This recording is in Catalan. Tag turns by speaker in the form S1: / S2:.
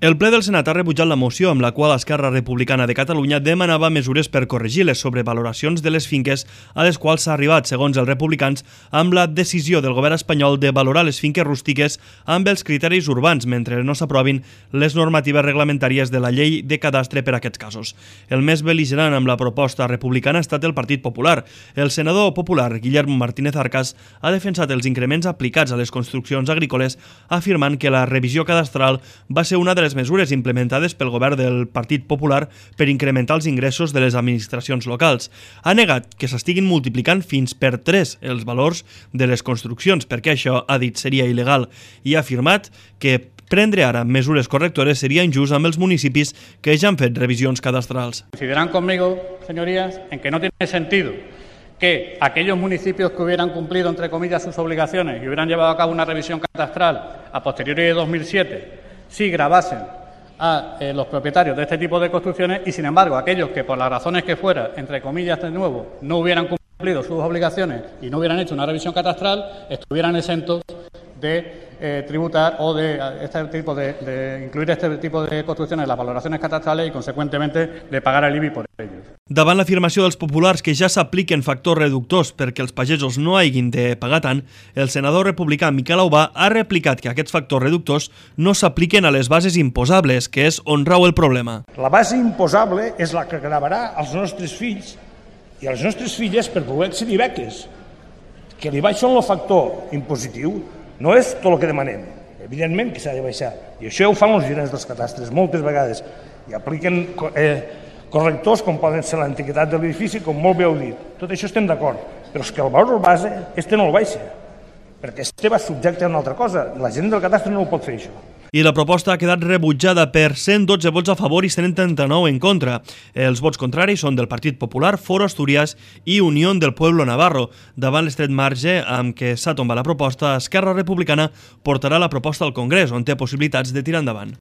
S1: El ple del Senat ha rebutjat la moció amb la qual Esquerra Republicana de Catalunya demanava mesures per corregir les sobrevaloracions de les finques a les quals s'ha arribat, segons els republicans, amb la decisió del govern espanyol de valorar les finques rústiques amb els criteris urbans mentre no s'aprovin les normatives reglamentàries de la llei de cadastre per a aquests casos. El més bel·ligerant amb la proposta republicana ha estat el Partit Popular. El senador popular Guillermo Martínez Arcas ha defensat els increments aplicats a les construccions agrícoles, afirmant que la revisió cadastral va ser una de les mesures implementades pel govern del Partit Popular per incrementar els ingressos de les administracions locals. Ha negat que s'estiguin multiplicant fins per 3 els valors de les construccions, perquè això, ha dit, seria il·legal, i ha afirmat que prendre ara mesures correctores seria injust amb els municipis que ja han fet revisions cadastrals.
S2: Coincidirán conmigo, señorías, en que no tiene sentido que aquellos municipios que hubieran cumplido, entre comillas, sus obligaciones y hubieran llevado a cabo una revisión cadastral a posteriori de 2007, sí gravasen a los propietarios de este tipo de construcciones y, sin embargo, aquellos que por las razones que fuera, entre comillas de nuevo, no hubieran cumplido sus obligaciones y no hubieran hecho una revisión cadastral, estuvieran exentos de tributar o de incluir este tipo de construcciones en las valoraciones catastrales y, consecuentemente, de pagar el IBI por ellos.
S1: Davant l'afirmació dels populars que ja s'apliquen factors reductors perquè els pagesos no hagin de pagar tant, el senador republicà Miquel Aubà ha replicat que aquests factors reductors no s'apliquen a les bases imposables, que és on rau el problema.
S3: La base imposable és la que gravarà als nostres fills i a les nostres filles per poder accedir a beques. Que li baixen el factor impositiu no és tot el que demanem. Evidentment que s'ha de baixar. I això ho fan els gerents dels catastres moltes vegades. I apliquen correctors com poden ser l'antiguitat de l'edifici, com molt bé heu dit. Tot això estem d'acord. Però és que el valor base, no el baixa. Perquè va subjecte a una altra cosa. La gent del catastre no ho pot fer, això.
S1: I la proposta ha quedat rebutjada per 112 vots a favor i 139 en contra. Els vots contraris són del Partit Popular, Foro Asturias i Unión del Pueblo Navarro. Davant l'estret marge amb què s'ha tombat la proposta, Esquerra Republicana portarà la proposta al Congrés, on té possibilitats de tirar endavant.